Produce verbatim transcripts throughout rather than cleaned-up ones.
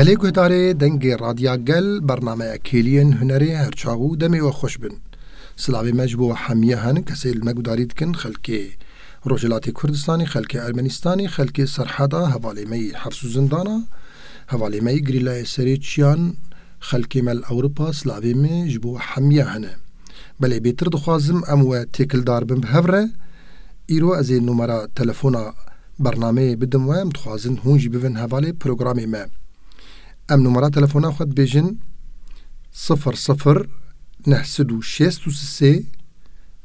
Lê guhdarê Dengê Radya Gel, bernameya Kêliyên Hunerê her çax û demê we xweş bin. Silavê me ji bo hemiya henin kesê li me gudarî dikin, xelkê Rojhilatê Kurdistanê, xelkê Ermenistanê, xelkê Serheda, hevalê me yî heps û zindana, hevalê me yî girîlayê serê çiyan, xelkê me li Ewropa, silavê min ji bo hemiya hene. Belê bêtir dixwazim em we têkildar bin bi hev re. Îro ez ê numera telefona bernameyê bidim we, em dixwazin hûn jî bivin hevalê programê me. Em numara telefona xwe dibêjin: sifir sifir neh sed û şêst û sê,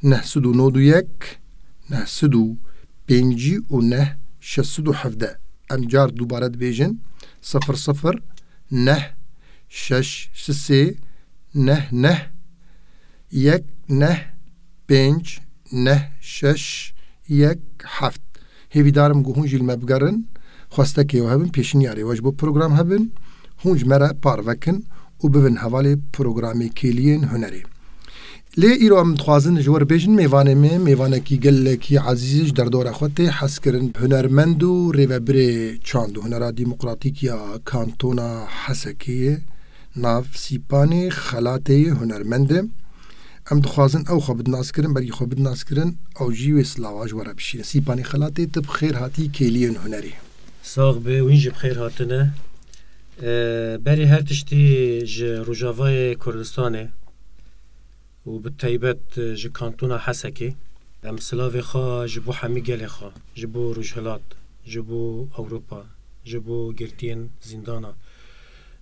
neh sed û nod û yek, neh sed û pêncî û neh, şeş sed û hevdeh. Em car dubare dibêjin: sifir sifir neh şeş sê neh neh yek neh pênc neh şeş yek heft. Hêvîdar im ku hûn jî li me bigerin, xwestekê we hebin, pêşniyarê we ji bo program hebin, hûn ji me re parve kin û bibin hevalê programê Kêliyên Hunerê. Lê îro em dixwazin ji we re bêjin, mêvanê me, mêvanekî gelekî ezîz ji derdora xwe tê hezkirin, hunermend û rêvebirê çand û hunera demokratîk ya Kantona Hesekê ye, nav Sîpanê Xelatê ye, hunermend e. Em dixwazin ew xwe bidin naskirin, berî xwe bidin naskirin, ew jî wê silava ji we re bişîne. Sîpanê Xelatê, tu bi xêr hatî Kêliyên Hunerê. Sax be, wîn jî bi xêr hatine. E, berî her tiştî ji Rojavayê Kurdistanê û bi taybet ji Kantona Hesekê, em silavê xwe ji bo hemî gelê xwe, ji bo Rojhilat, ji bo Ewropa, ji bo girtiyên zîndana,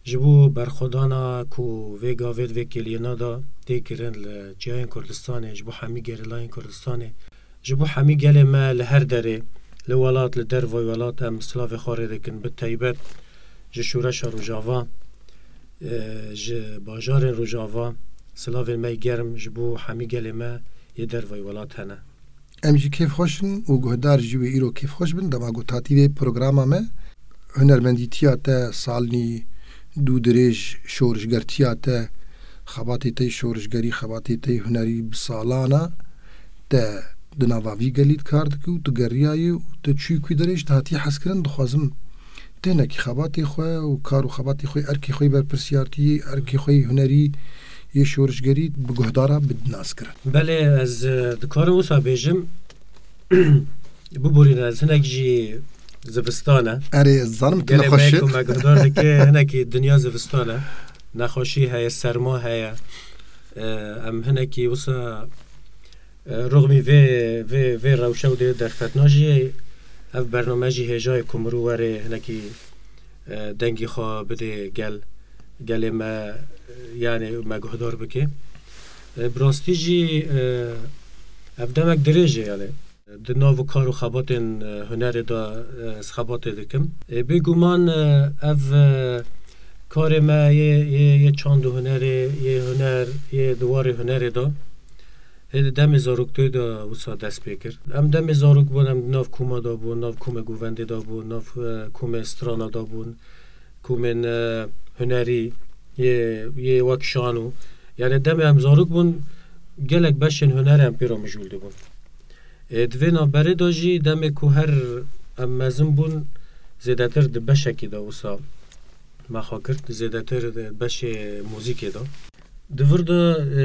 ji bo berxwedana ku vê gavê di vê kêliyêna de tê kirin li ciyayên Kurdistanê, ji bo hemî gerîlayên Kurdistanê, ji bo hemî gelê me li her derê, li welat, li dervayî welat, em silavê xwe rê dikin, bi taybet ji Şoreşa Rojava, e, ji bajarên Rojava, silavên me yê germ ji bo hemî gelê me yê dervayî welat hene. Em jî kêfxweş in û guhdar jî wê îro kêfxweş bin, dema ku hatî vê programa me. Hunermendîtiya te salnî dû dirêj, şorişgertiya te, xebatê te yê şorişgerî, xebatê te yê hunerî bi salana te di nava vî gelî di kar dikî û tu geriyayî û tu çûyî ku dirêj tu hatî hezkirin, dixwazim tu hinekî xebatê xwe û kar û xebatê xwe, erkê xwe yê berpirsiyartiyî, erkê xwe yê hunerî, yê şorişgerî bi guhdara bidin naskirin. Belê, ez, e, dikarim wisa bêjim, biborîne, ez hinek jî zivistan e. Erê, ez zanim tu Gelê me nexweş ku e. Me guhdar dike, hinekî dinya zivistan e. Nexweşî heye, serma heye. E, em hinekî wisa, e, rixmî vê, vê, vê rewşe û dê derfetna jî ev bername jî hêja ye ku mirû were hinekî, e, dengî xwe bidê gel, gelê me, e, yanê me guhdar bike. E, bi rastî jî, e, ev demek dirêj e, yanê. Di nav kar û xebatên, e, hunerê de, e, ez xebatê dikim. E, bêguman, e, ev, e, karê me yê, yê, yê çand û hunerê, yê huner, yê di warê hunerê de, hê di demê zaroktiyê de wisa dest pê kir. Em demê zarok bûn, em di nav koma de bûn, nav komê govendê de bûn, nav, e, komê strana de bûn, komên, e, hunerî, yê, yê wek şano. Yanê demê em zarok bûn, gelek beşên hunerê em pê re mijûl dibûn. E, di vê navberê de jî demê ku her em mezin bûn, zêdetir di beşekê de wisa me xwe girt, zêdetir di beşê muzîkê de. Di vir de, e,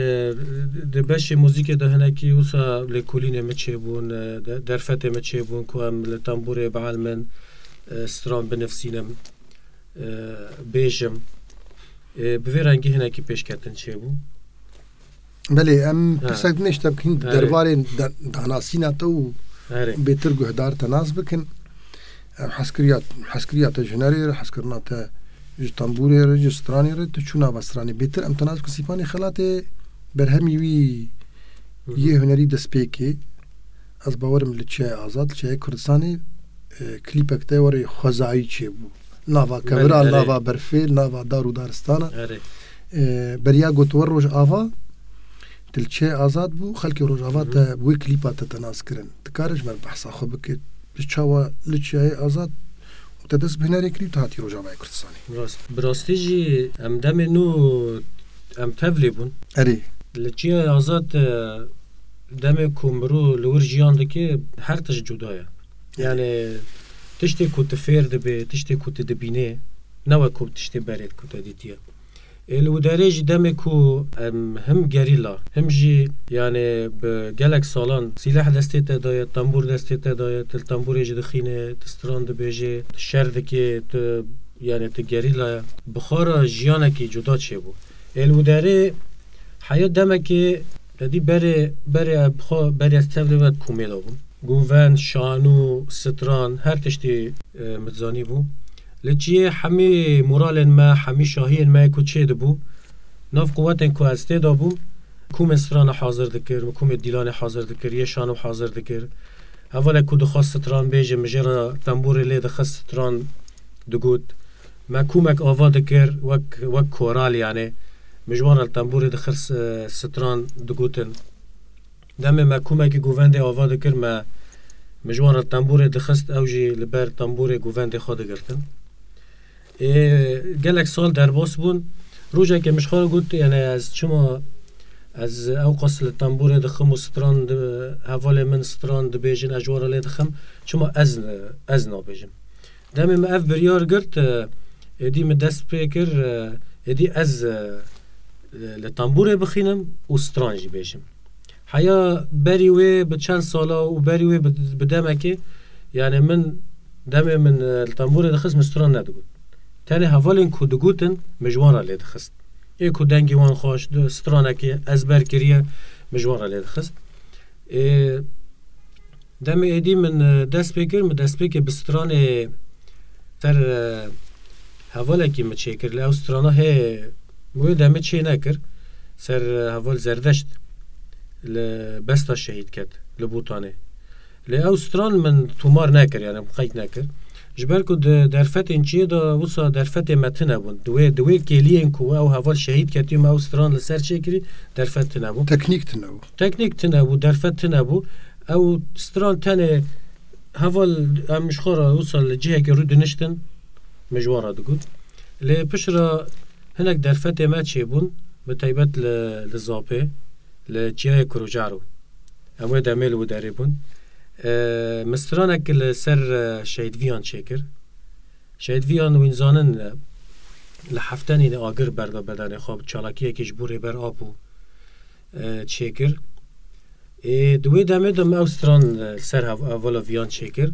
di beşê muzîkê de hinekî wisa lêkolînê min çêbûn, e, de-, derfetê min çêbûn ku em li tembûrê bielmin, e, stran binivsînim, e, bêjim. E, bi vê rengî hinekî pêşketin çêbû. Belê, em Ha. pirsek din ji te bikin, Erê. derbarê da-, danasîna te û Erê. bêtir guhdar te nas bikin. Em hezkiriya, hezkiriya te ji hunerê re, hezkirina te ji tembûrê re, ji stranê re, tu çû nava stranê. Bêtir em te nas bikin Sîpanê Xelatê, berhemî wî Hı hı. yê hunerî destpêkê. Ez bawerim li Çiyayê Azad, li Çiyayê Kurdistanê, e, klîpek te warê xwezayî çêbû. Nava Belê, kevira, erê. nava berfê, nava dar û daristana. Erê. E, beriya got we Rojava, tu li Çiyayê Azad bû, xelkê Rojava Hı hı. te wê klîpa te te nas kirin. Dikare ji me re behsa xwe bike, bi çawa li Çiyayê Azad û te dest bi hunerê kirî û te hatî Rojavayê Kurdistanê? Rast. Bi rastî jî em demê nû em tevlî bûn. Erê. Li Çiyayê Azad, e, demê ku mirû li wir jiyan dike, her tişt cuda ye. Erê. Yani tiştê ku tu fêr dibê, tiştê ku tu dibînê, Ne wek ku tiştê berê ku te dîtiye. Ê, li Widerê jî demê ku em him gerîla, him jî, yani, bi gelek salan sîleh destê te daye, tembûr destê te daye, tu li tembûrê jî dixîne, tu stran dibêje, tu şer dikê, tu, yani, tu gerîla ye. Bi xwe re jiyanekî cuda çêbû. Ê, li Widerê heya demekê, te dî berê, berê, bi xwe, berê ez tevlê ve komê de bûm. Govend, şanû, stran, her tiştî, e, min zanîbû. Li çiyê hemî moralên me, hemî şahiyên me ku çê dibû, nav quwetên ku ez tê de bûm, komên strana hazir dikir, min komê dîlanê hazir dikir, yê şanû hazir dikir. Hevalek ku dixwest stran bêje, min jê re tembûrê lê dixist, stran digot. Me komek ava dikir, wek, wek koral, yani. Min ji wan re li tembûrê dixir, s-, stran digotin. Demê me komekî govendê ava dikir, me, min ji wan re tembûrê dixist, ew jî li ber tembûrê govendê xwe digirtin. Ê, gelek sal derbas bûn. Rojekê min ji xwe re got, yani, ez çima, ez ew qas li tembûrê dixim û stran di-, hevalê min stran dibêjin, ez ji wan re lê dixim, çima ez, ez nabêjim? Demê min ev biryar girt, e, êdî min dest pê kir, e, êdî ez, e, li tembûrê bixînim û stran jî bêjim. Heya berî wê bi çend sala û berî wê bi, bi demekê, yani, min demê min, e, li tembûrê dixist, min stran nedigot. Tenê hevalên ku digotin, min ji wan re lê dixist. Ê ku dengê wan xweş, di-, stranekê ezber kiriye, min ji wan re lê dixist. Ê, Demê êdî min, e, dest pê kir, min destpêkê bi stranê ser, e, hevalekî min çêkir. Lê ew strana hê, wê demê çê nekir. Ser, e, heval Zerdeşt li Besta şehîd ket, li Botanê. Lê ew stran min tomar nekir, yani min qeyd nekir. Ji ber ku di derfetên çiyê de wisa derfetê me tune bûn. Di wê, di wê kêliyên ku ew heval şehîd ketiye, me ew stran li ser çêkirî, derfet tune bû. Teknîk tune bû. Teknîk tune bû, derfet tune bû. Ew stran tenê heval em ji xwe re wisa li cihekê rûdiniştin, min ji wan re digot. Lê pişt re hinek derfetê me çêbûn, bi taybet li, li Zapê, li çiyayê Kurocaro. Em wê demê li wê derê bûn. E, min stranek li ser, e, Şehîd Viyan çêkir. Şehîd Viyan wîn zanin, e, li heftenî de agir berda bedenê xwe, bi çalakiyekî ji bo Rêber Apo, e, çêkir. Ê, di wê demê de min ew stran, e, ser hev-, hevala Viyan çêkir.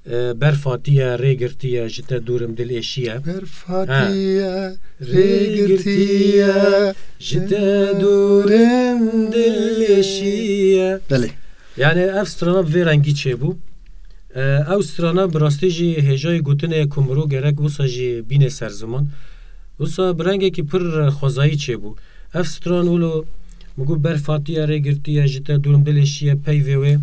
E, berf hatiye, rê girtiye, ji te dûr im dil êşiye. Berf hatiye, rê girtiye, ji te dûr im dil êşiye. Belê. Yani ev strana bi vê rengî çêbû. E, ew strana bi rastî jî hêjayî gotinê ku mirov gerek wisa jî bîne ser ziman. Wisa bi rengekî pir xwezayî çêbû. Ev stran wilo min got berf hatiye, rê girtiye, ji te dûr im dil êşiye, peyvê wê.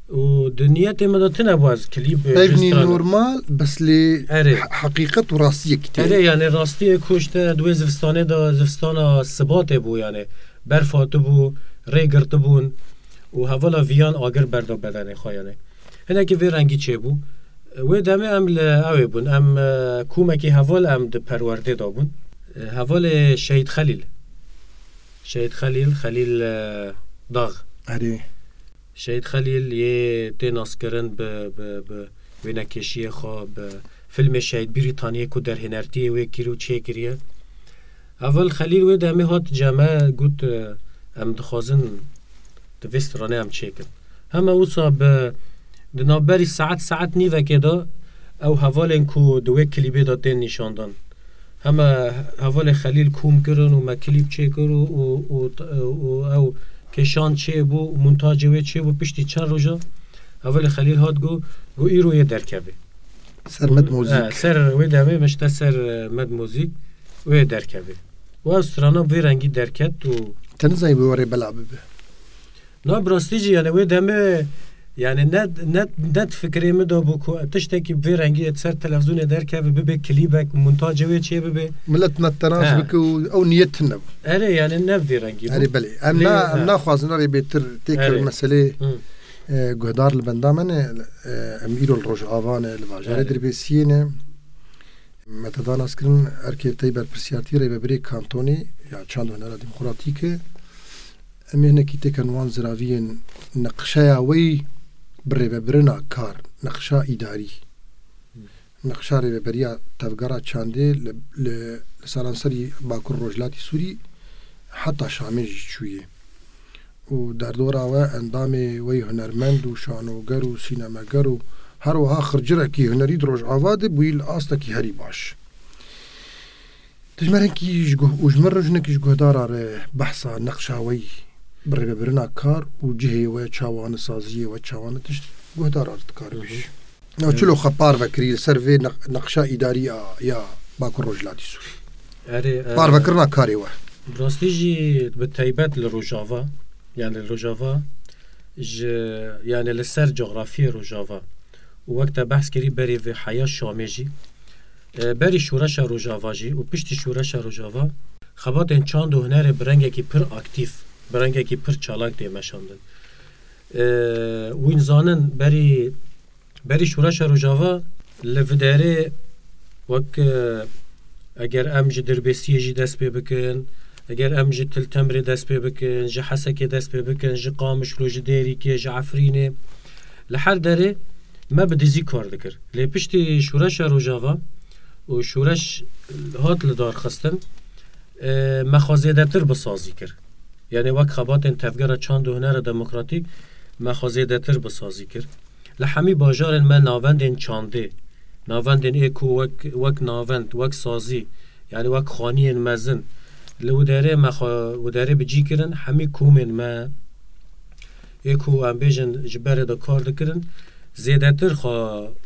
Û di niyetê min de tune bû ez klîp, e, Peyv ji nî strana. Normal, bes lê Erê. he-, heqîqet û rastiyekî tê. Erê, yani rastiyê ku işte di wê zivistanê de, zivistana sibatê bû yani. Berf hatibû, rê girtibûn û hevala Viyan agir berda bedenê xwe yani. Hinekî vê rengî çêbû. Wê demê em li ew ê bûn. Em, e, komekî heval em di perwerdê de bûn. E, hevalê Şehîd Xelîl. Şehîd Xelîl, Xelîl, e, Dax. Erê. Şehîd Xelîl yê tê naskirin bi, bi, bi wênekeşiyê xwe, bi filmê Şehîd Brîtaniyê ku derhênertiyê wê kir û çêkiriye. Heval Xelîl wê demê hat cem me, got, e, em dixwazin di vê stranê em çêkin. Hema wisa bi, di navberî saet, saet nîvekê de ew hevalên ku di wê klîbê de tên nîşandan. Hema hevalê Xelîl kom kirin û me klîp çêkir û, û, û, û ew kêşan çêbû, montacê wê çêbû, piştî çend roja hevalê Xelîl hat got, got, îro yê derkevê. Ser Med Mozîk. He, ser wê demê mişte ser, e, Med Mozîk, wê derkevê. Û ew strana vê rengî derket û Te nizanî bi warê bela bibe. Na, bi rastî jî, yani, wê demê, yani, ne, ne, ne di fikrê min de bû ku tiştekî bi vê rengî yê ser televîzyonê derkeve, bibe klîbek, montacê wê çê bibe. Milet me tenaş He. bike û ew niyet tune bû. Erê, yani, ne bi vê rengî bû. Erê, belê. Em Lê, na-, em he. naxwazin erê bêtir têkevin Erê. meselê, Hı. e, guhdar li benda me ne, e, em îro li Rojava ne, li bajarê Erê. Dirbêsiyê ne. Me te da naskirin erkê te yê berpirsiyartî rêvebirê kantonê ya çand û hunera demokratîk e. Em ê hinekî têken wan ziraviyên neqşeya wê bi rêvebirina kar, neqşa îdarî. Nexşa rêveberiya tevgera çandê li, li, li seranserî Bakur Rojhilatî Sûrî heta Şamê jî çûyê. Û derdora we endamê wey hunermend û şanoger û sînemeger û her wiha xircirekî hunerî di Rojava de bûyî li astekî herî baş. Tu ji me re hinkî ji guh-, û ji me re jinekî ji guhdara re behsa nexşa wey bi rêvebirina kar û cihê we çawan e, saziyê we çawan e, tişt guhdara re dikar bêjî. Ya çilo xwe parve kirî li ser vê nex-, nexşa îdarî ya, ya Bakur Rojhilatî Sûrî. Erê, e, Parvekirina karê we. Bi rastî jî bi taybet li Rojava, yani li Rojava ji, yani li ser cografiyê Rojava û wek te behs kirî berê vê heya Şamê jî, e, berî şoreşa Rojava jî û piştî şoreşa Rojava xebatên çand û hunerê bi rengekî pir aktîf, bi rengekî pir çalak tê meşandin. E, wîn zanin berî Berî şoreşa Rojava li vê derê wek, e, eger em ji Dirbêsiyê jî dest pê bikin, eger em ji Til Temrê dest pê bikin, ji Hesekê dest pê bikin, ji Qamişlo, ji Dêrikê, ji Efrînê, li her derê me bi dizî kar dikir. Lê piştî şoreşa Rojava û şoreş hat li dar xistin, e, me xwe zêdetir bi sazî kir. Yani wek xebatên tevgera çand û hunera demokratîk me xwe zêdetir bi sazî kir. Li hemî bajarên me navendên çandê, navendên ê ku wek, wek navend, wek sazî, yani wek xaniyên mezin, li wî derê me xwe wî derê bi cî kirin, hemî komên me ê ku em bêjin ji berê de kar dikirin, zêdetir xwe,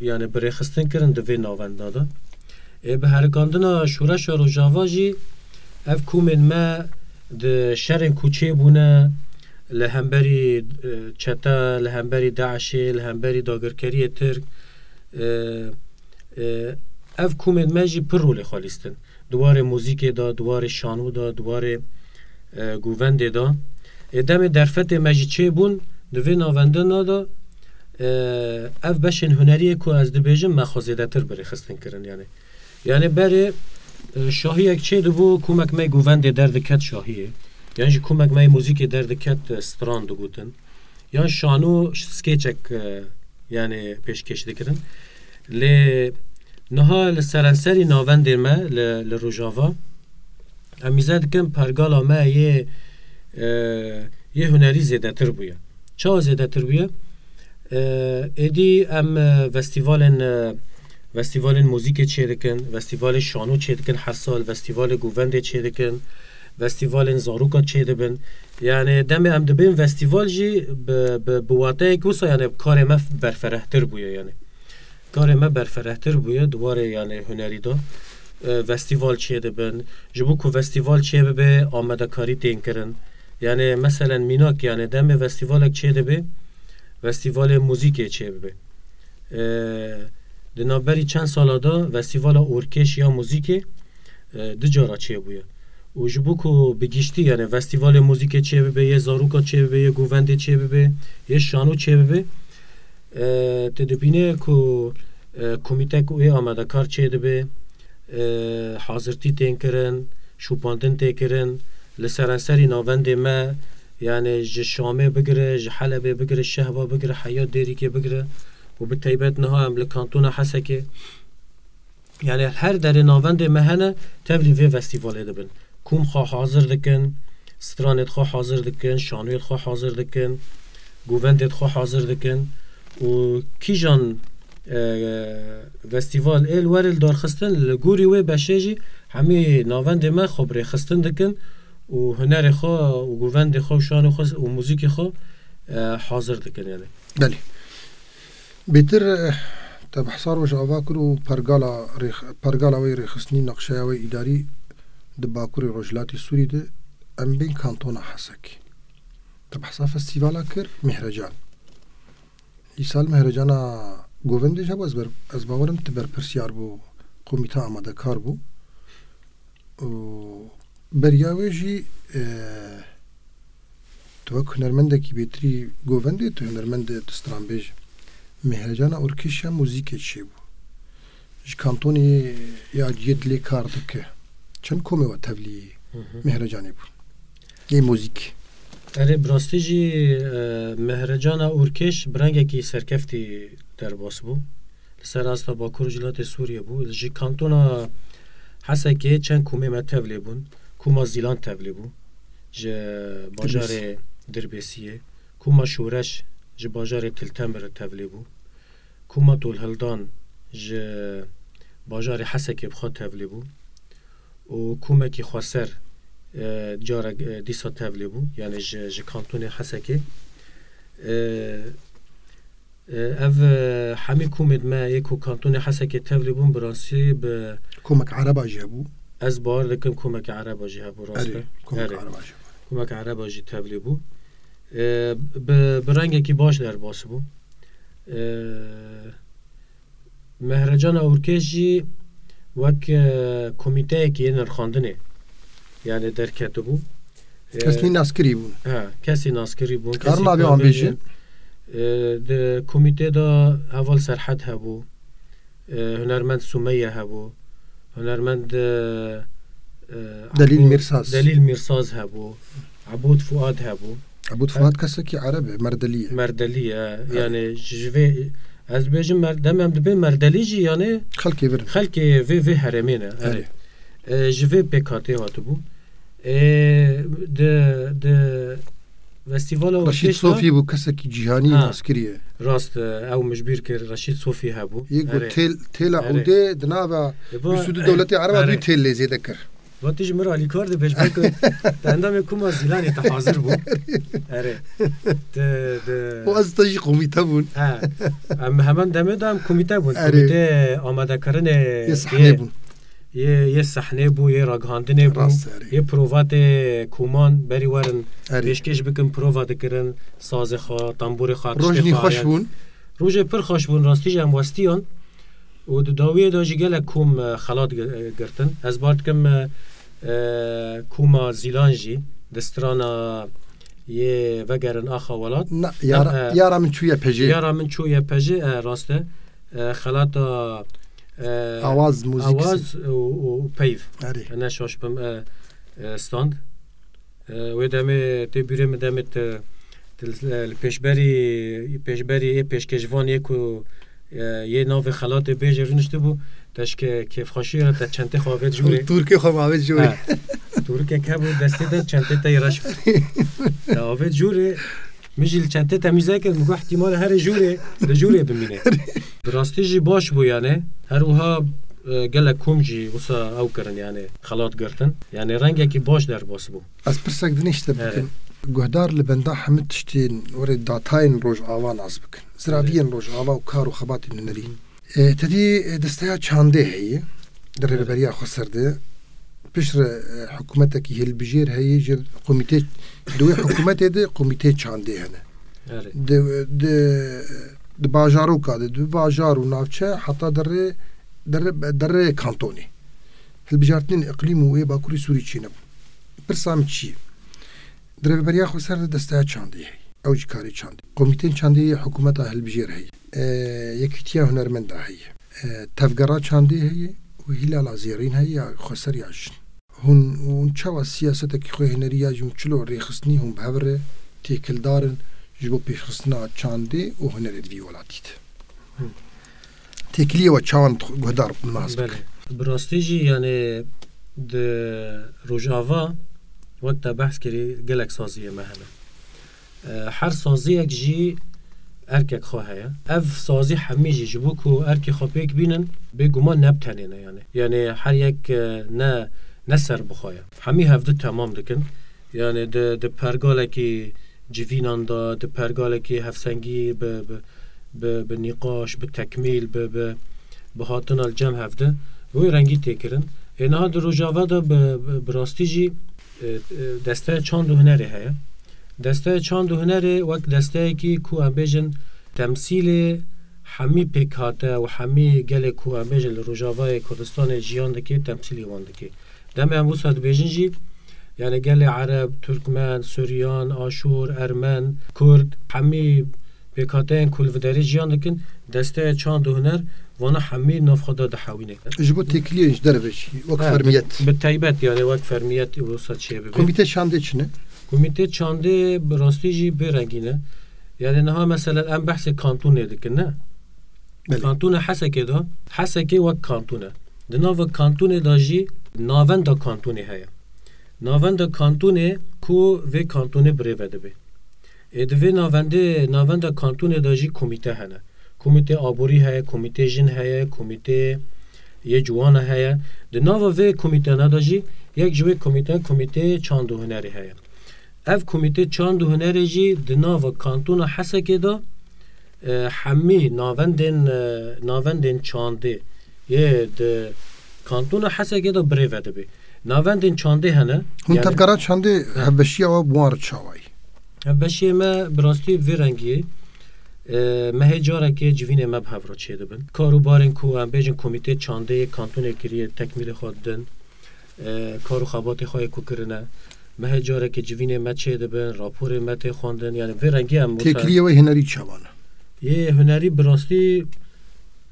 yani, bi rêxistin kirin di vê navenda de. Ê, bi herikandina şoreşa Rojava jî ev komên me di şerên ku çêbûne, li hemberî, e, çete, li hemberî DAIŞê, li hemberî dagirkeriyê Tirk, e, e, ev komên me jî pir rolê xwe lîstin. Di warê muzîkê de, di warê şano de, di warê, e, govendê de. Ê, demê derfetê me jî çêbûn di vê navendina de, e, ev beşên huneriyê ku ez dibêjim, me xwe zêdetir bi rêxistin kirin, yani. Yani berê, e, şahiyek çêdibû, komek me govendê derdiket şahiyê. Yan jî komek me muzîkê derdiket, e, stran digotin. Yan şano skeçek, e, yani pêşkêş dikirin. Lê niha li serenserî navendê me li, li Rojava, em îze dikin pergala me yê, e, yê hunerî zêdetir bûye. Çawa zêdetir bûye? E, êdî em, e, festîvalên, e, festîvalên muzîkê çêdikin, festîvalê şano çêdikin her sal, festîvalê govendê çêdikin, festîvalên zaroka çêdibin. Yani demê em dibên festîval jî bi, bi, bi wateyek wisa, yani karê me berferehtir bûye, yani. Karê me berferehtir bûye di warê, yani, hunerî de. E, festîval çêdibin. Ji bo ku festîval çêbibe, amadekarî tên kirin. Yani, meselen, mînak, yani, demê festîvalek çêdibe, festîvalê muzîkê çêbibe. E, di navberî çend sala de festîvala orkêş ya muzîkê, e, du cara çêbûye. Û ji bo ku bi giştî, yani, festîvalê muzîkê çêbibe, yê zaroka çêbibe, yê govendê çêbibe, yê şano çêbibe, e, tu dibîne ku, e, komîtek û ê amadekar çêdibe, e, hazirtî tên kirin, şopandin tê kirin, li serenserî navendê me, yani, ji Şamê bigire, ji Helebê bigire, Şehba bigire, heya Dêrikê bigire û bi taybet niha em li kantona Hesekê, yani, her derê navendê me hene, tevlî vê festîvalê dibin. Kom xwe hazir dikin, stranê xwe hazir dikin, şanoyê xwe hazir dikin, govendê xwe hazir dikin û kîjan, e, festîval ê li werê li darxistin, li gorî wê beşê jî hemî navendê me xwe bi rêxistin dikin û hunerê xwe û govendê xwe û şanê xwe û muzîkê xwe, e, hazir dikin, yani. Belê. Bêtir, eh, te behsa Rojava kir û pergala rêx-, pergala wê rêxistinî, nexşeya wê îdarî di Bakurê Rojhilatê Sûrî de, em bên kantona Hesekê. Te behsa festîvala kir, Mihrecan. Îsal Mihrecana govendê ji hev ez ber-, ez bawerim tu berpirsiyar bû, komîte amadekar bû. Û beriya wê jî, e, tu wek hunermendekî bêtirî govendê, tu hunermendê, tu stranbêj. Mihrecana orkêşa muzîkê çêbû. Ji kantonê ya ciyê dilê kar dike. Çend komê we tevlî Hı hı. Mihrecanê bûn? Yê muzîk. Erê, bi rastî jî, e, Mihrecana orkêş bi rengekî serkeftî derbas bû. Li ser asta Bakur Rojhilatê Sûriyê bû. Ji kantona Hesekê çend komê me tevlê bûn. Koma Zîlan tevlê bû. Ji bajarê Dirbêsiyê. Koma Şoreş ji bajarê Til Temir tevlê bû. Koma Tolhildan ji bajarê Hesekê bi xwe tevlê bû. Û komekî xweser, e, carek, e, dîsa tevlê bû. Yani ji, ji kantonê Hesekê. E, e, ev, e, hemî komêd me yê ku kantonê Hesekê tevlê bûn, bi rastî bi Komek Ereba jî hebû. Ez bawer dikim komekî Ereba jî hebû, rast Erê, e? Komek Erê. Ereba jî hebû. Komek Ereba jî tevlê bû. E, bi, bi rengekî baş derbas bû. E, Mehrecana Ûrkêş jî wek, e, komîteyekî yê nirxandinê, yani derketibû. E, Kesnî naskirî bûn. He, kesî naskirî bûn, Karin kesî abi wan bêjin. E, di komîtê de Heval Serhed hebû, e, hunermend Sumeyye hebû, hunermend, e, e, Delîl Ebû-, Mîrsaz. Delîl Mîrsaz hebû, Ebûd Fuad hebû. Ebûd Fuad kesekî Ereb e, Merdelî ye. Merdelî ye. Evet. Yani ji vê, ez dibêjim mer-, dem em dibê Merdelî jî yani Xelkê vir in. Xelkê vê, vê herêmê ne. Erê. Erê. E, ji vê pêkhatê hatibû. E, di, di festîvala Reşîd Orkestra Sofî bû, kesekî cîhanî Ha. naskirî ye. Rast, e, ew min ji bîr kir, Reşîd Sofî hebû. Yê got Erê. têl, têla Erê. Ûdê di nava E, va-, vîst û du dewletê Ereba Erê. dû têl lê zêde kir. Va tu ji min re alîkar dibêj, belku te endamê Koma Zîlanê te hazir bû. Erê. Te, te O ez te jî komîte bûn. He. Em heman demê de em komîte bûn. Erê. Komîtê amadekirinê Yê sahnê yê, bûn. yê, yê sahnê bû, yê ragihandinê bû, Rast, erê. yê provatê koman berî werin Erê. pêşkêş bikin, prova dikirin, sazê xwe, tamborê xwe, Rojnî tiştê xwe, xweş yani. bûn. Rojê pir xweş bûn, rastî jî em westiyan. Û di dawiyê de jî gelek kom, e, xelat gi-, e, girtin. Ez bar dikim, e, e, koma Zîlan jî di strana yê Vegerin Axa Welat. Na, yara, E, e, yara min çûye pejê. Yara min çûye pejê, e, rast e. E, xelata, e, Awaz, muzîk. Awaz û, û peyv. Erê. Ne şaş bim, e, e, stand. E, wê demê tê bîrê min demê te, te li, li pêşberî, pêşberî yê pêşkêşvan yê ku, e, yê navê xelatê bêjê rûniştibû, te ji ke-, kêfxweşiyê re te çentê xwe avêt jûrê. Tûrkê xwe avêt jûrê. Ha. Tûrkek hebû destê de çentê te yê reş bû. Te avêt jûrê, min jî li çentê te mîze kir, min got ihtimal e herê jûrê, li jûrê bimîne. Bi rastî jî baş bû yani. Her wiha, e, gelek kom jî wisa ew kirin yani xelat girtin. Yani rengekî baş derbas bû. Ez pirsek din ji te Evet. bikim. Guhdar li benda hemû tiştên were datayên Rojava nas bikin. Ziraviyên Evet. Rojava û kar û xebatên hunerî. E, te dî, e, desteya çandê heye. Di Evet. Rêveberiya Xweser de. Piştre, e, hikûmetekî hilbijêr heye. Ji komîtê, di wê hikûmetê de komîtê çandê hene. Evet. Di, di, di bajaroka de, di bajar û navçe heta derê, derê, derê kantonê. Hilbijartinên îqlîm û wê Bakurê Sûrî çênebûn. Pirsa min çi ye? Di Rêveberiya Xweser de desteya çandê heye. Ew jî karê çandê. Komîtên çandê yê hikûmeta hilbijêr heye. E, Yekîtiya Hunermenda heye. E, Tevgera Çandê heye û Hîlala Zêrîn heye ya xweser ya jin. Hûn, hûn çawa siyasetekî xwe hunerî ya jî hûn çilo rêxistinî hûn bi hev re têkildar in ji bo pêşxistina çandê û hunerê di vî welatî de? Hı. Têkiliyê we çawan guhdar nas bikin? Belê. Bi rastî jî, yani, di Rojava, wek te behs kirî, gelek saziyê me hene. E, her saziyek jî erkek xwe heye. Ev sazî hemî jî ji bo ku erkê xwe pêk bînin, bêguman ne bi tenê ne, yani. Yani, her yek, e, ne, ne ser bi xwe ye. Hemî hevdu temam dikin. Yani, di, di pergalekî civînan de, di pergalekî hevsengî bi, bi, bi, bi nîqaş, bi tekmîl, bi, bi, bi hatina li cem hev de, bi wê rengî tê kirin. Ê niha di Rojava de bi, bi, bi rastî jî, e, e, desteya çand û hunerê heye. Desteya çand û hunerê wek desteyekî ku em bêjin temsîlê hemî pêkhate û hemî gelê ku em bêjin li Rojavayê Kurdistanê jiyan dike, temsîlê wan dike. Demê em wisa dibêjin jî, yani gelê Ereb, Turkmen, Suryan, Aşûr, Ermen, Kurd, hemî pêkhateyên ku li vê derê jiyan dikin, desteya çand û huner vana hemî nav xwe de dihewîne. Ji bo têkiliyên ji derve jî, wek Ha, fermiyet. Bi, bi taybet, yani wek fermiyet wisa çêbibe. Komîtê çandê çi ne? Komîtê çandê bi rastî jî bê rengîn e. Yani niha mesela em behsê kantonê dikin, ne? Belê. Kantona Hesekê de, Hesekê wek kanton e. Di nava kantonê de jî navenda kantonê heye. Navenda kantonê ku vê kantonê birêve dibe. Ê di vê navendê, navenda kantonê de jî komîte hene. Komîtê aborî heye, komîtê jin heye, komîtê yê ciwana heye. Di nava vê komîtena de jî yek ji wê komîte, komîtê çand û hunerê heye. Ev komîtê çand û hunerê jî di nava kantona Hesekê de, e, hemî navendên, e, navendên çandê yê di kantona Hesekê de birêve dibe. Navendên çandê hene. Hûn Yani tevgera çandê He. hevbeşiya we bi wan re çawa ye? Hevbeşiyê me bi rastî vê rengî ye. E, me hê carekê civînê me bi hev re çêdibin. Kar û barên ku em bêjin komîtê çandê yê kantonê kiriye tekmîlê xwe didin. E, kar û xebatê xwe yê ku kirine. Me hê carekê civînê me çêdibin, raporê me tê xwendin. Yani vê rengî em wisa Têkiliyê we hunerî çawa ne? Yê hunerî bi rastî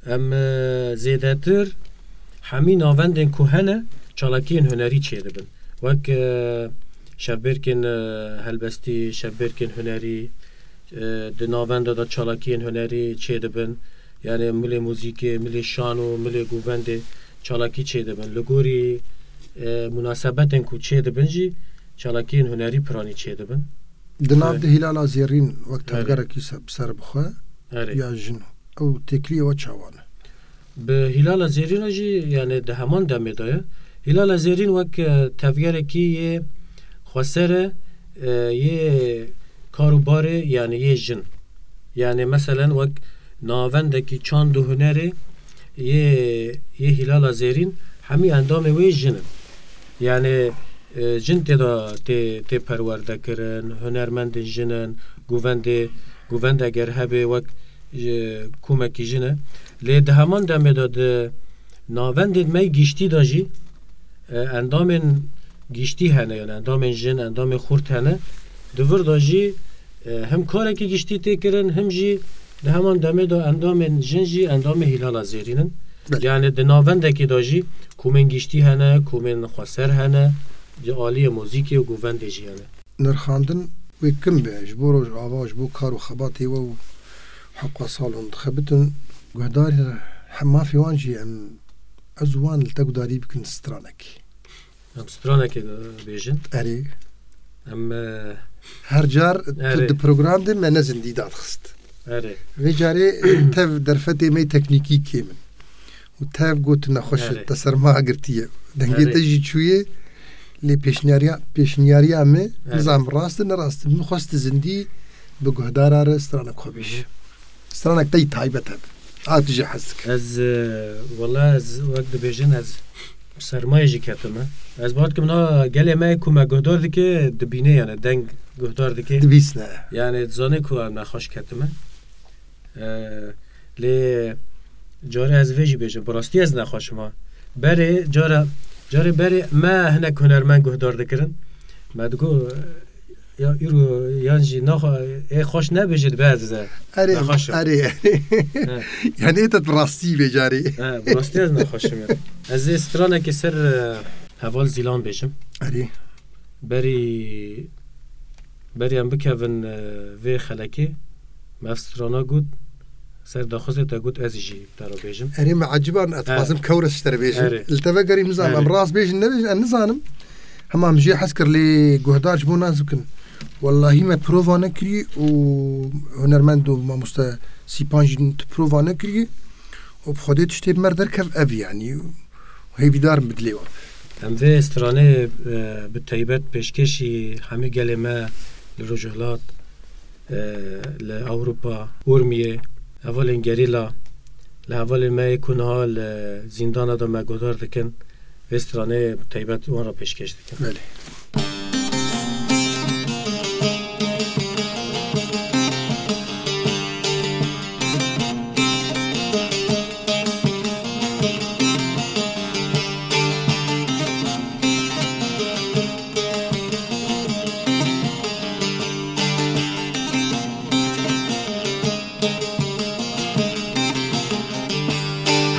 em, e, zêdetir hemî navendên ku hene çalakiyên hunerî çêdibin. Wek, e, şevbêrkên, e, helbestî, şevbêrkên hunerî, e, di navenda de çalakiyên hunerî çêdibin. Yani milê muzîkê, milê şano, milê govendê çalakî çêdibin. Li gorî, e, munasebetên ku çêdibin jî çalakiyên hunerî piranî çêdibin. Di nav Erê. di Hilala Zêrîn wek Erê. tevgerekî se-, bi ser bixwe Erê. ya jin. Ew têkiliyê we çawa ne? Bi Hilala Zêrîna jî, yani di heman demê de ye. Hilala Zêrîn wek, e, tevgerekî yê xweser e, e, yê kar û barê, yani yê jin. Yani meselen wek navendekî çand û hunerê yê, yê Hilala Zêrîn hemî endamê wê jin in. Yani, e, jin tê de tê, tê perwerde kirin, hunermendên jin in, govendê, govend eger hebe wek, e, komekî jin e. Lê di heman demê de di navendên me giştî de jî, e, endamên giştî hene, yani endamên jin, endamên xurt hene. Di vir de jî, e, him karekî giştî tê kirin, him jî di heman demê de endamên jin jî endamê Hilala Zêrîn in. Belê. Yani di navendekê de jî komên giştî hene, komên xweser hene, ji aliyê muzîkê û govendê jî hene. Nirxandin wê kim be ji bo Rojava, ji bo kar û xebatê we û hewqa sal hûn dixebitin. Guhdarî re hem mafê wan jî em, ez û wan li te guhdarî bikin stranekê. Em stranekê bêjin. Erê. Em, e, Her car tu Erê. di program de me ne zindî dadixist. Erê. Vê carê tev derfetê me teknîkî kêm in. Û tev got nexweş e, Erê. te serma girtiye. Dengê Erê. te jî çûye, lê pêşniyariya, pêşniyariya me, Erê. nizam rast e, ne rast e. Min xwest zindî bi guhdara re stranek xwe bêje. Hı hı. Stranek te yî taybet hebe. A tu jî hez dike. Ez, e, wela ez wek dibêjin ez sermayê jî ketime. Ez bawer dikim na gelê me ku me guhdar dike dibîne, yani deng guhdar dike. Dibîsne. Yani dizane ku em nexweş ketime. E, lê carê ez vê jî bêjim, bi rastî ez nexweşim ha. Berê cara, carê berê me hinek hunermend guhdar dikirin. Me digot, ya îro yan jî naxwe-, ê xweş nebêje dibe ez e. Erê, Nexweş e. erê, erê. He. Yani ê te bi rastî bê carê. He, bi rastî ez nexweşim ya. Ez ê stranekê ser, e, Heval Zîlan bêjim. Erê. Berî, berî em bikevin, e, vê xelekê, me ev strana got, ser daxwazê te got, ez jî te re bêjim. Erê, me eciban, ez He. dixwazim kewres ji te re bêjim. Erê. Li te vegerî, nizam, Erê. em rast bêjin, nebêjin, em nizanim. Hema em jê hez kir, lê guhdar ji bo nas bikin. Wellahî me prova nekirî û hunermend û mamoste Sîpan jî tu prova nekirî û bi Xwedê tiştê bi me re derkev ev, yanî. Hêvîdar im bi dilê we. Em vê stranê, e, bi taybet pêşkêşî hemî gelê me li Rojhilat, e, li Ewropa, Urmiyê, hevalên gerîla, li hevalên me yê ku niha li zîndana de me guhdar dikin, vê stranê bi taybet wan re pêşkêş dikim. Belê.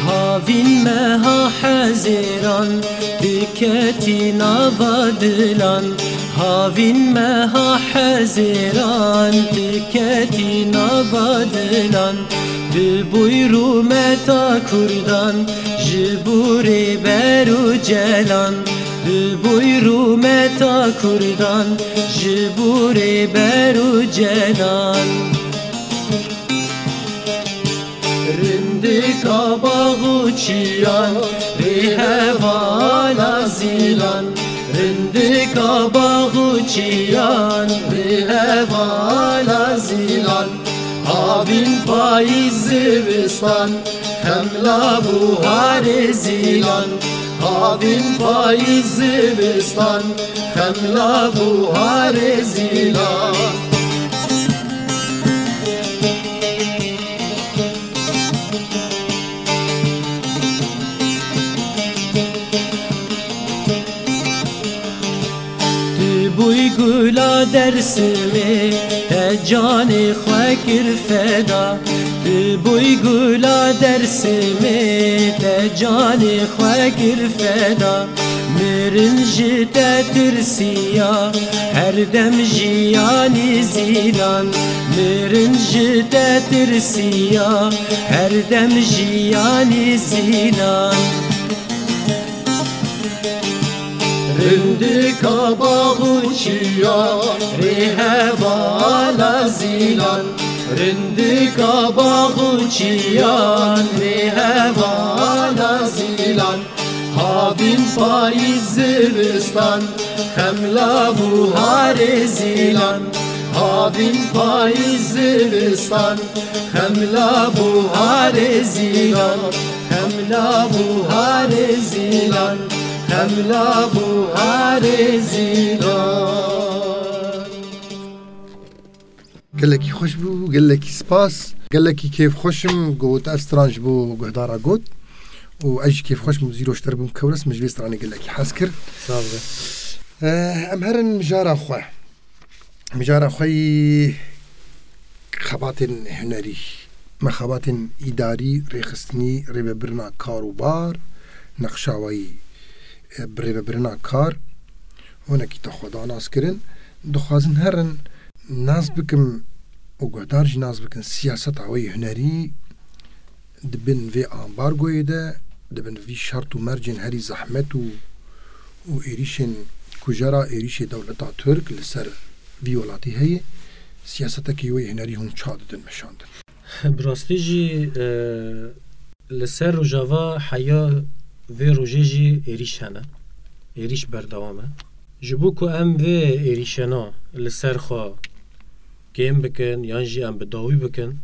Havîn meha Hezêran, di Ketî nava dilan, havîn meha hezêran, tu ketî nava dilan. Tu bûy rûmeta kurdan, ji bo rêber û celan. Tu bûy rûmeta kurdan, ji bo rêber û celan. Rindika bax û çiyan, rê hevala zîlan. Rindika bax û çiyan, rê hevala zîlan. Havîn payîz zivistan, xemla buharê zîlan. Havîn payîz zivistan, xemla buharê zîlan. Tu bûy gula Dersimê, te canê xwe kir feda. Tu bûy gula Dersimê, te canê xwe kir feda. Mirin ji te tirsiya, her dem jiyanî zîlan. Mirin ji te tirsiya, her dem jiyanî zîlan. Rindika bax û çiyan, rê hevala zîlan. Rindika bax û çiyan, rê hevala zîlan. Havîn payîz zivistan, xemla buharê zîlan. Havîn payîz zivistan, xemla buharê zîlan. Xemla buharê zîlan, xemla buharê zîlan. Gelekî xweş bû, gelekî spas. Gelekî kêfxweş im ku te ev stran ji bo guhdara got. Û ez jî kêfxweş bûm, zîro ji te re bûm kewres, min ji vê stranê gelekî hez kir. Sağ ol. Eh, em herin mijara xwe. Mijara xwe yî xebatên hunerî. Me xebatên îdarî, rêxistinî, rêvebirina kar û bar, nexşawayî, eh, bi rêvebirina kar, hinekî te xwe da nas kirin. Dixwazin herin nas bikim û guhdar jî nas bikin siyaseta wê hunerî di bin vê ambargoyê de, di bin vî şert û mercên herî zehmet û, û êrîşên kujera, êrîşê dewleta Tirk li ser vî welatî heye, siyasetekî wê hunerî hûn ça didin meşandin? Bi rastî jî, e, li ser Rojava heya vê rojê jî êrîş hene. Êrîş berdewam e. Ji bo ku em vê êrîşena li ser xwe kêm bikin yan jî em bi dawî bikin,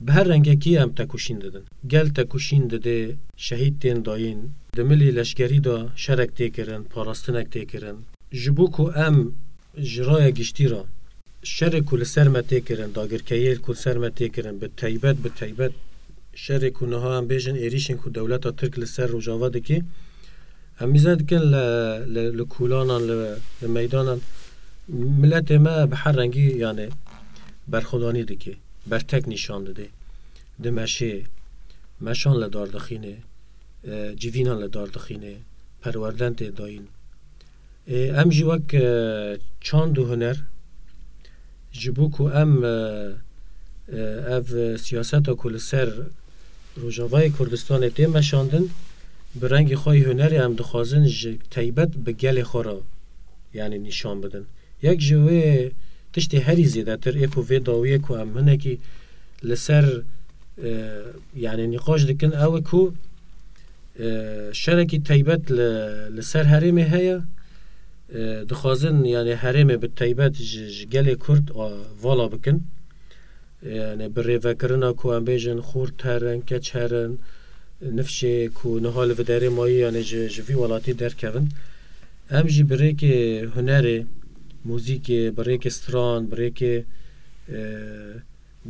bi her rengekî em tekoşîn didin. Gel tekoşîn didê, şehîd tên dayîn, di milî leşkerî de şerek tê kirin, parastinek tê kirin. Ji bo ku em ji raya giştî re şerê ku li ser me tê kirin, dagirkeyê ku li ser me tê kirin, bi teybet, bi teybet şerê ku niha em bêjin êrîşên ku dewleta Tirk li ser Rojava dike, em mîze dikin li, li, li kolanan, li, li meydanan. Miletê me bi her rengî, yani, berxwedanî dike, bertek nîşan dide. Dimeşê, meşan li dar dixîne, e, civînan li dar dixîne, perwerden tê dayîn. E, em jî wek, e, çand û huner, ji bo ku em, e, e, ev, e, siyaseta ku li ser Rojavayê Kurdistanê tê meşandin, bi rengê xwe yê hunerê em dixwazin ji teybet bi gelê xwe re, yani, nîşan bidin. Yek ji wê tiştê herî zêdetir ê ku vê dawiyê ku em hinekî li ser, e, yani, nîqaş dikin, ew e ku, e, şerekî teybet li, li ser herêmê heye. E, dixwazin, yani, herêmê bi teybet ji, ji gelê Kurd, a, vala bikin. Yani, bi rêvekirina ku em bêjin xort herin, keç herin, nifşê ku niha li viderê mayî, yani, ji, ji vî welatî derkevin. Em jî bi rêkê hunerê, muzîkê, bi rêkê stran, bi rêkê, e,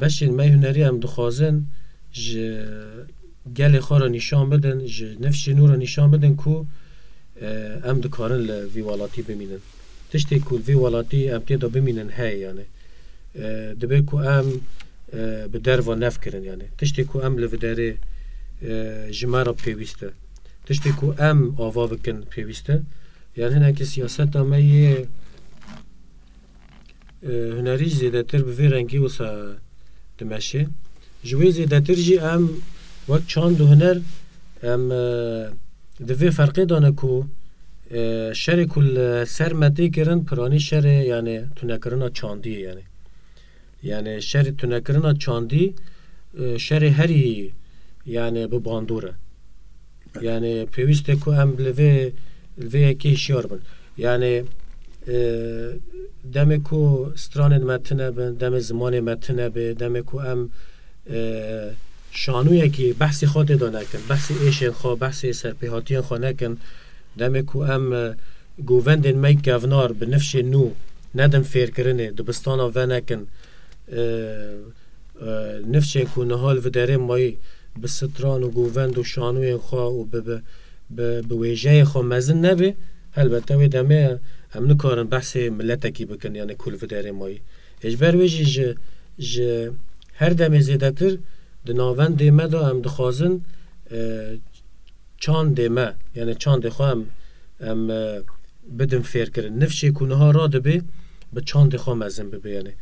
beşên me hunerî em dixwazin ji gelê xwe re nîşan bidin, ji nifşên nû re nîşan bidin ku, e, em dikarin li vî welatî bimînin. Tiştê ku li vî welatî em tê de bimînin heye, yani. E, dibe ku em, e, bi derva nefkirin, yani. Tiştê ku em li viderê, e, ji me re pêwîst e. tiştê ku em ava bikin pêwîst e. Yan hinekî siyaseta me yê, e, hunerî jî zêdetir bi vê rengî wisa dimeşe. Ji wê zêdetir jî em wek çand û huner em, e, di vê ferqê de ne ku, e, şerê ku li ser me tê kirin, piranî şerê, yani tunekirina çandî ye, yani. Yani şerê tunekirina çandî, e, şerê herî, yani bi bandor e. Yani pêwîst e ku em li vê, li vê yekê hişyar bin. Yani, e, demê ku stranên me tune bin, demê zimanê me tune be, demê ku em, e, şanûyekî behsê xwe tê de nekin, behsê êşên xwe, behsê serpêhatiyên xwe nekin, demê ku em, e, govendên me yê kevnar bi nifşên nû nedin fêrkirinê, dibistana venekin, e, e, nifşên ku niha li vê derê mayî bi stran û govend û şanûyên xwe û bi, bi, bi, bi wêjeyê xwe mezin nebe, helbete wê demê em nikarin behsê miletekî bikin, yani ku li vê derê mayî. Ê ji ber wê jî ji, ji her demê zêdetir di navendê me de em dixwazin, e, çandê me, yani çandê xwe em, em, e, bidin fêrkirin. Nifşê ku niha radibe, bi çandê xwe mezin bibe, yani.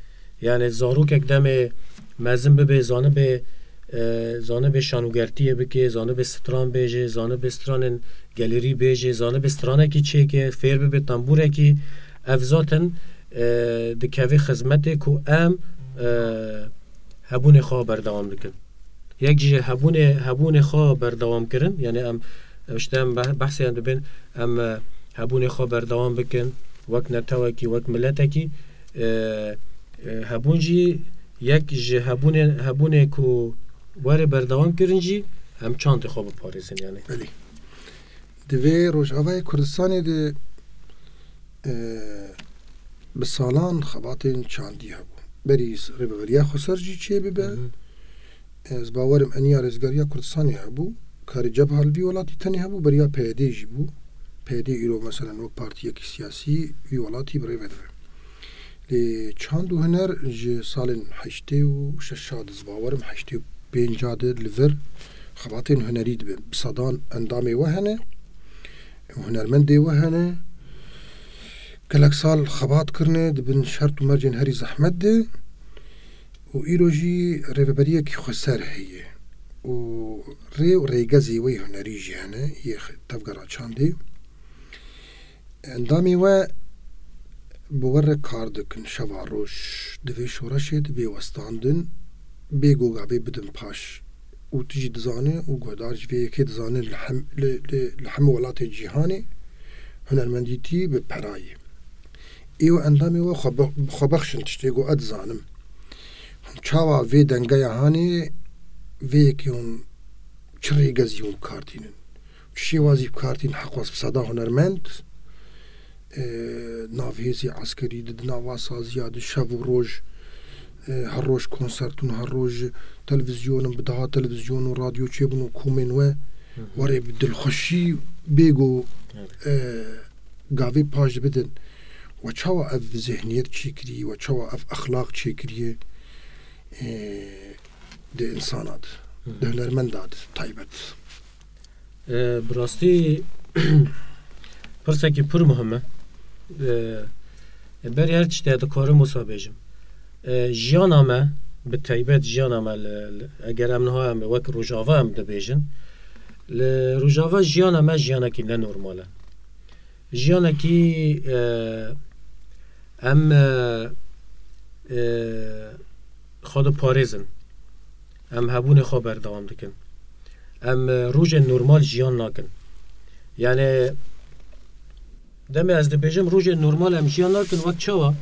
Yani zarokek demê mezin bibe, zanibe, e, zanibe şanûgertiyê bike, zanibe stran bêje, zanibe stranên gelêrî bêje, zanibe stranekî çêke, fêr bibe tembûrekî, ev zaten, e, dikeve xizmetê ku em, e, hebûnê xwe berdewam dikin. Yek jî hebûnê, hebûnê xwe berdewam kirin, yani em, işte em beh-, behsê em dibin, em, e, hebûnê xwe berdewam bikin, wek netewekî, wek miletekî, e, e, hebûn jî yek ji hebûnê, hebûnê ku were berdewam kirin jî em çandê xwe biparêzin, yani. Belê. Di vê Rojavayê Kurdistanê de, e, bi salan xebatên çandî hebû. Berî s-, Rêveberiya Xweser jî çêbibe. Hı hı. Ez bawerim eniya Rêzgariya Kurdistanê hebû. Karê Cebha li vî welatî tenê hebû, beriya P Y D jî bû. P Y D îro, meselen, wek partiyekî siyasî vî welatî bi rê ve dibe. Lê çand û huner ji salên heştê û şeş a de, ez bawerim, heştê û pênc a de li vir xebatên hunerî dibe. Bi sedan endamê we hene, hunermendê we hene. Gelek sal xebat kirine, di bin şert û mercên herî zehmet de. Û îro jî rêveberiyekî xweser heye. Û rê û rêgezê wê hunerî jî hene, yê xe-, tevgera çandê. Endamê we bi we re kar dikin, şeva roj di vê şoreşê de bê westandin, bê ku gavê bidin paş. Û tu jî dizane û guhdar ji vê yekê dizane li hem-, li, li, li hemû welatên cîhanê hunermendîtî bi pera ye. Ê û endamê we xwe be-, xwe bexşin tiştê ku ez dizanim. Hûn çawa vê dengeya hanê, vê yekê hûn çi rêgezî hûn bi kar tînin? Çi şêwazî bi kar tînin heqwas bi seda hunermend, e, nav hêzê eskerî de, di nava saziya de şev û roj, e, her roj konsertûn, her roj televîzyonin, bi deha televîzyon û radyo çêbûn û komên we Hı hı. were bi dilxweşî bê ku, Evet. e, gavê paş bidin. We çawa ev zihniyet çêkirî, we çawa ev exlaq çêkiriye, e, di insana de, Hı hı. di hunermenda de taybet? E, bi rastî pirsekî pir muhim e. E, berî her tiştê dikarim wisa bêjim. E, jiyana me, bi taybet jiyana me li, li, eger em niha em wek Rojava em dibêjin, li Rojava jiyana me jiyanekî ne normal e. Jiyanekî, e, em, e, e, xwe diparêzin. Em hebûnê xwe berdewam dikin. Em, e, rojên normal jiyan nakin. Yani, demê ez dibêjim, rojên normal em jiyan nakin, wek çawa?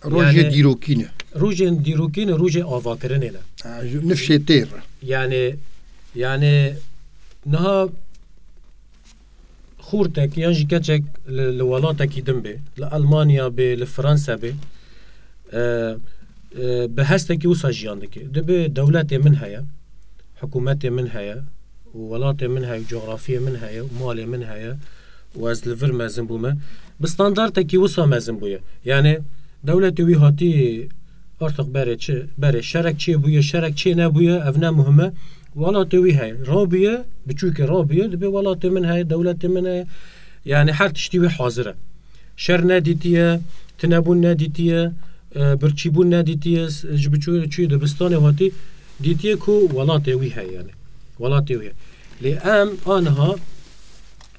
Rojê Yani, dîrokî ne. Rojên dîrokî ne, rojê avakirinê ne. Ha, ji nifşê têr. Yani, yani, niha xortek yan jî keçek li, li welatekî din bê, li Elmanya bê, li Fransa bê, e, e, bi hestekî wisa jiyan dike. Dibe dewletê min heye, hikûmetê min heye, û welatê min heye, û cografiyê min heye, û malê min heye, û ez li vir mezin bûme. Bi standartekî wisa mezin bûye. Yani dewletê wî hatî artık berê çi, berê şerek çê bûye, şerek çê nebûye, ev ne muhim e. welatê wî heye. Rabiye, biçûkê rabiye, dibê welatê min heye, dewletê min heye. Yani her tiştî wê hazir e. Şer nedîtiye, tinebûn nedîtiye, e, birçîbûn nedîtiye, s-, ji biçû-, çûyê dibistanê hatî, dîtiye ku welatê wî heye yani. Welatê wî heye. Lê em aniha,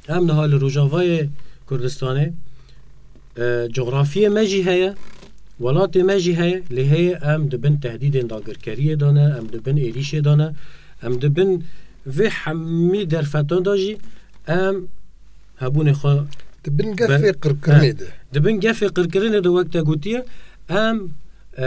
em niha li Rojavayê Kurdistanê, e, cografiyê me jî heye, welatê me jî heye, lê heye em di bin tehdîdên dagirkeriyê de ne, em di bin êrîşê de ne, em di bin vê hemî derfetan de jî em hebûnê xwe Di bin gefê qirkirinê de. Di bin gefê qirkirinê de wek te gotiye, em, e,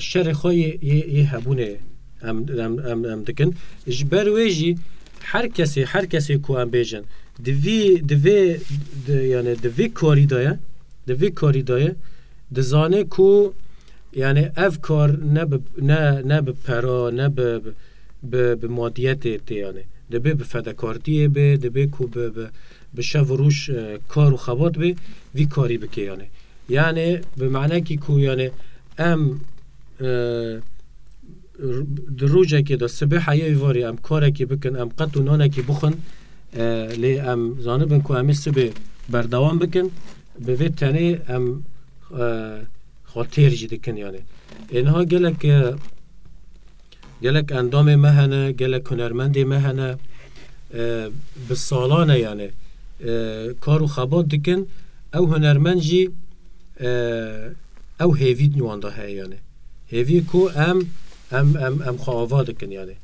şerê xwe yê, yê, yê hebûnê em, em, em, em dikin. Ji ber wê jî her kesê, her kesê ku em bêjin, di vî, di vê, di, yani di vê karî de ye, di vê karî de ye, dizane ku yani ev kar ne bi, ne, ne bi pera, ne bi, bi, bi madiyetê tê yani. Dibê bi fedekartiyê bê, dibê ku bi, bi, bi şev û rûj, e, kar û xebat bê, vî karî bike yani. Yani bi manekî ku yani em, e, r-, di rojekê de sibê heyê varê em karekî bikin, em qet û nanekî bixwin, e, lê em zanibin ku em ê sibê berdewam bikin, bi vê tenê em, e, xwe têr jî dikin yani. Ê niha gelek, e, gelek endamê me hene, gelek hunermendê me hene, e, bi salan e yani, e, kar û xebat dikin, ew hunermend jî, e, ew hêvî wan de heye yani. Hêvî ku em, em, em, em xwe ava dikin yani.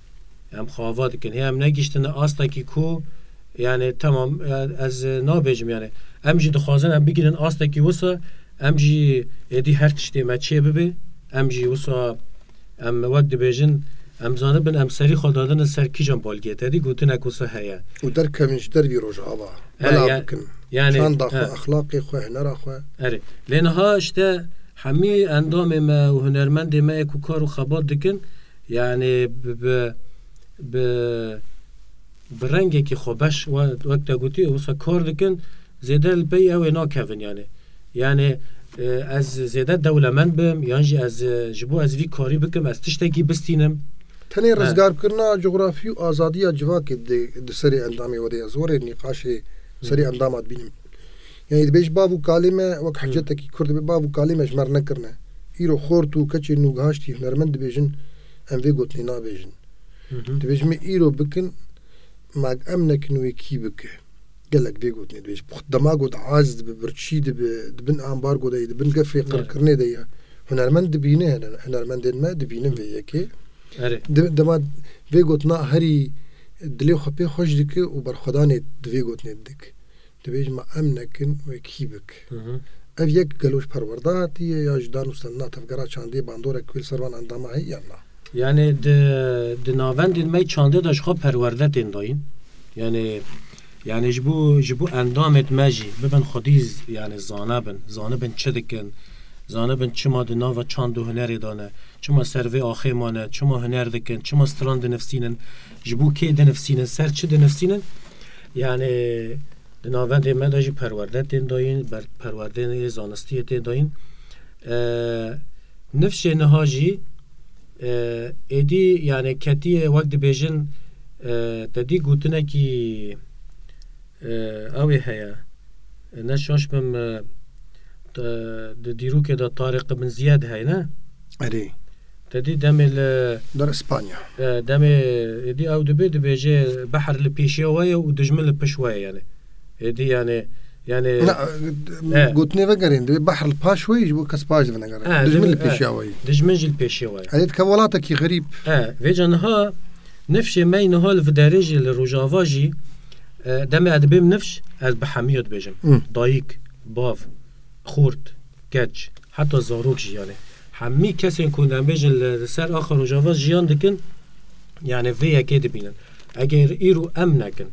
Em xwe ava dikin. Hê em negihiştine astekî ku, yani, temam, e, ez nabêjim yani. Em jî dixwazin em bigihînin astekî wisa, em jî êdî her tiştê me çê bibe, em jî wisa, em wek dibêjin, em zanibin, em serî xwe dadine ser kîjan balgê. Te dî gotinek wisa heye. Û derkevin ji dervî Rojava. He, bela ya-, bikin. Yani, çanda xwe, he. Exlaqê xwe, hunera xwe. Erê. Lê niha işte hemî endamê me û hunermendê me yê ku kar û xebat dikin, yani bi, bi, bi, bi rengekî xwebeş, we-, wek te gotî, wisa kar dikin, zêde li pey ew ê nakevin yani. Yani, e, ez zêde dewlemend bim, yan jî ez, e, ji bo ez vî karî bikim, ez tiştekî bistînim. Tenê, he, rizgarkirina cografî û azadiya civakê di, di serê endamê we de ye. Zorê nîqaşê serê, hı, endama dibînim. Yani dibêj bav û kalê me wek, hı, hiccetekî Kurd dibe, bav û kalê me ji me re nekirine. Îro xort û keçê nû gihaştî hunermend dibêjin, em vê gotinê nabêjin. Hı hı. Dibêjin me îro bikin, mag em nekin wê kî bike. Gelek vê gotinê dibêjin. Dema got aciz dibe, birçî dibe, di bin ambargo de ye, di bin gefê, evet, qirkirinê de ye. Hunermend dibîne, huner-, hunermendên me dibînin vê yekê. Erê. Di-, dema vê gotina herî dilê xwe pê xweş dike û berxwedanê di vê gotinê didik. Dibêjin me em nekin wê kî bik. Hı hı. Ev yek gelo ji perwerde hatiye ya ji danûstandina tevgera çandê bandorek wê li ser van endama heye yan na? Yani di, di navendên me çandê de ji xwe perwerde tên dayîn. Yani, yani ji bo, ji bo endamêt me jî bibin xwedî z-, yani zane bin, zanibin çi dikin, zanibin çima di nava çand û hunerê de ne, çima ser vê axê mane, çima huner dikin, çima stran dinivsînin, ji bo kê dinivsînin, ser çi dinivsînin. Yani di navendê me de jî perwerde tên dayîn, ber-, perwerdeyê zanistiyê tên dayîn. E, nifşê niha jî, e, êdî yani ketiye wek dibêjin, e, te dî gotinekî, e, ew ê heye. Ne şaş bim, e, te, di dîrokê de Tarîq Ibn Ziyad heye ne? Erê. Te dî demê li Der Îspanya. E, demê êdî ew dibê, dibêje behr li pêşiya we ye û dijmin li pişt we ye yani. Êdî yani, yani. Na, e, gotinê vegerên, dibê behr li paş we ye, ji bo kes paş divinegere. E, dijmin li pêşiya we ye. Dijmin jî li pêşiya we ye. Erê, dike welatekî xerîb. E, vêca niha nifşê me niha li vê derê jî li Rojava jî, e, demê ez dibêm nifş, ez bi hemiya dibêjim. Hı. Dayik, bav, xort, keç, heta zarok jî yani. Hemî kesên ku em bêjin li, li ser axa Rojava jiyan dikin, yani vê yekê dibînin. Eger îro em nekin,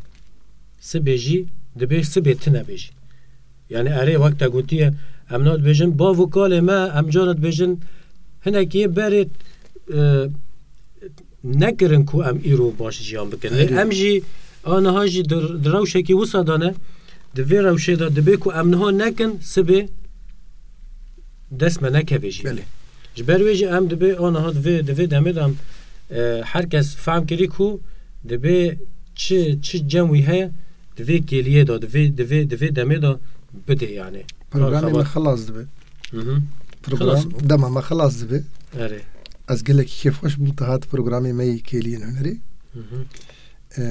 sibê jî dibê sibê tune bê jî. Yani erê wek te gotiye, em na dibêjin, bav û kalê me, em cara dibêjin, hinekî berê, e, nekirin ku em îro baş jiyan bikin. Lê, erê, em jî aniha jî di, di rewşekî wisa de ne, di vê rewşê de dibê ku em niha nekin, sibê dest me nekeve jî. Belê. Ji ber wê jî em dibê aniha di vê, di vê demê de em, e, her kes fehm kirî ku Divê çi, çi cem wî heye, di vê kêliyê de, di vê, di vê, di vê demê de bidê yani. Programê me xebat. Xilas dibe. Mhm. Program, xilas. Dema me xilas dibe. Erê. Ez gelekî kêfxweş bûm, te hat programê me yê kêliyên hunerê. Mhm. E,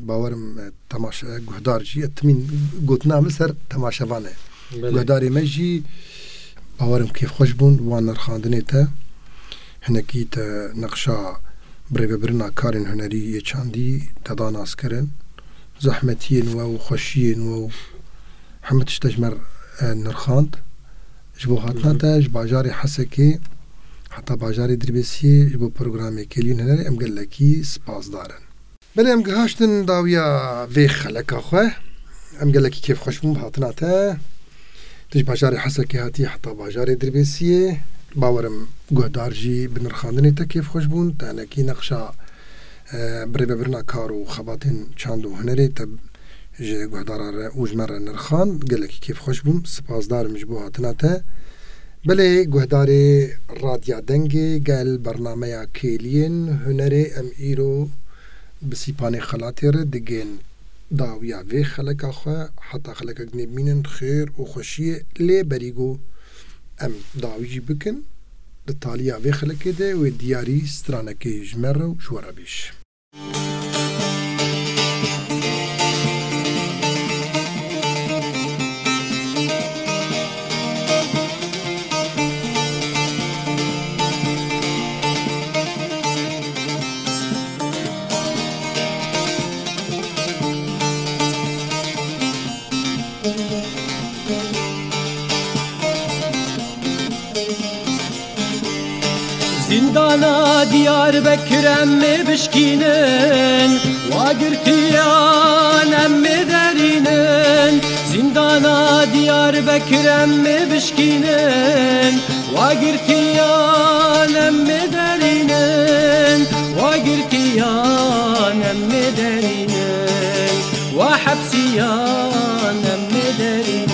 bawerim, e, temaşe, guhdar jî, e, timîn gotina min ser temaşevan e. Belê. Guhdarê me jî, bawerim, kêfxweş bûn, wan nirxandinê te. Hinekî te neqşa birêvebirina karên hunerî yê çandî te da naskirin. Zehmetiyên we û xweşiyên we û hemû tişt te ji me re, e, nirxand. Ji bo hatina Hı hı. te ji bajarê Hesekê heta bajarê Dirbêsiyê ji bo programê Kêliyên Hunerê em gelekî spasdar in. Belê, em gihaştin dawiya vê xeleka xwe. Em gelekî kêfxweş bûn bi hatina te. Tu ji bajarê Hesekê hatî heta bajarê Dirbêsiyê. Bawerim guhdar jî bi nirxandinê te kêfxweş bûn. Te hinekî neqşa, e, birêvebirina kar û xebatên çand û hunerê te ji guhdara re û ji me re nirxand. Gelekî kêfxweş bûm. Sipasdar im ji bo hatina te. Belê, guhdarê Radya Dengê Gel, bernameya Kêliyên Hunerê, em îro bi Sîpanê Xelatê re digên dawiya vê xeleka xwe. Heta xelekek dinê bimînin, xêr û xweşiyê lê berî ku em dawî jî bikin, di taliya vê xelekê de wê diyarî stranekê ji me re û ji we re bîş. Zîndana Diyarbekir em ê bişkînin, wa girtiyan em ê derînin. Zîndana Diyarbekir em ê bişkînin, wa girtiyan em ê derînin. Wa girtiyan em ê derînin, wa hepsiyan em ê derînin.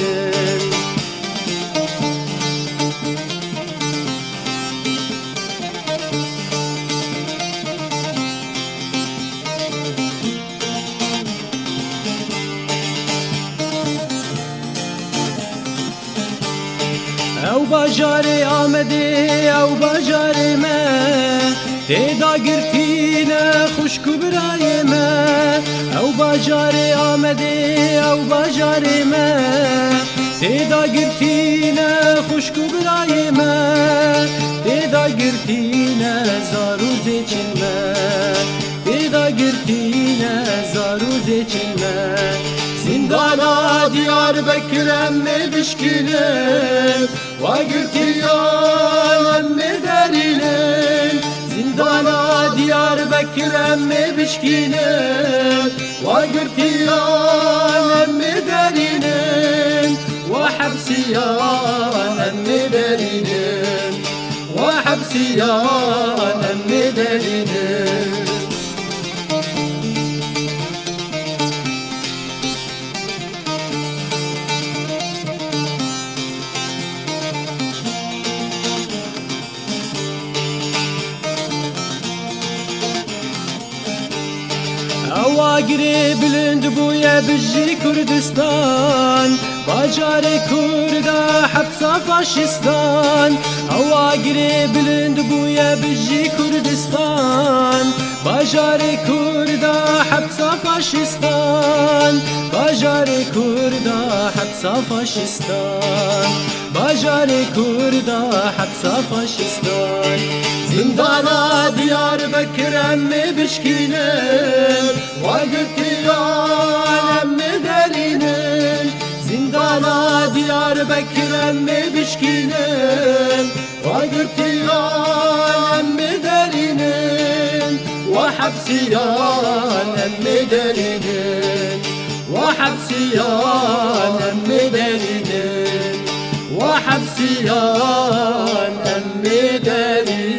Ew bajarê Amedê, ew bajarê me, tê da girtî ne xwişk û birayê me. Ew bajarê Amedê, ew bajarê me, tê da girtî ne xwişk û birayê me, tê da girtî ne zar û zêçên me, tê da girtî ne zar û zêçên me. Zîndana Diyarbekir em ê bişkînin, wa girtiyan em ê derînin. Zîndana Diyarbekir em ê bişkînin, wa girtiyan em ê derînin. Wa hepsiyan em ê derînin, wa hepsiyan em ê derînin. Ew agirê bilind bûye, bijî Kurdistan, bajarê Kurda hepsa faşistan. Ew agirê bilind bûye, bijî Kurdistan, bajarê Kurda hepsa faşistan, bajarê Kurda hepsa faşistan, bajarê Kurda hepsa faşistan. Zîndana Diyarbekir em ê bişkînin, wa girtiyan em ê derînin. Zîndana Diyarbekir em ê bişkînin, wa girtiyan em ê derînin, wa hepsiyan em ê derînin, wa hepsiyan em ê derînin, wa hepsiyan em ê derînin.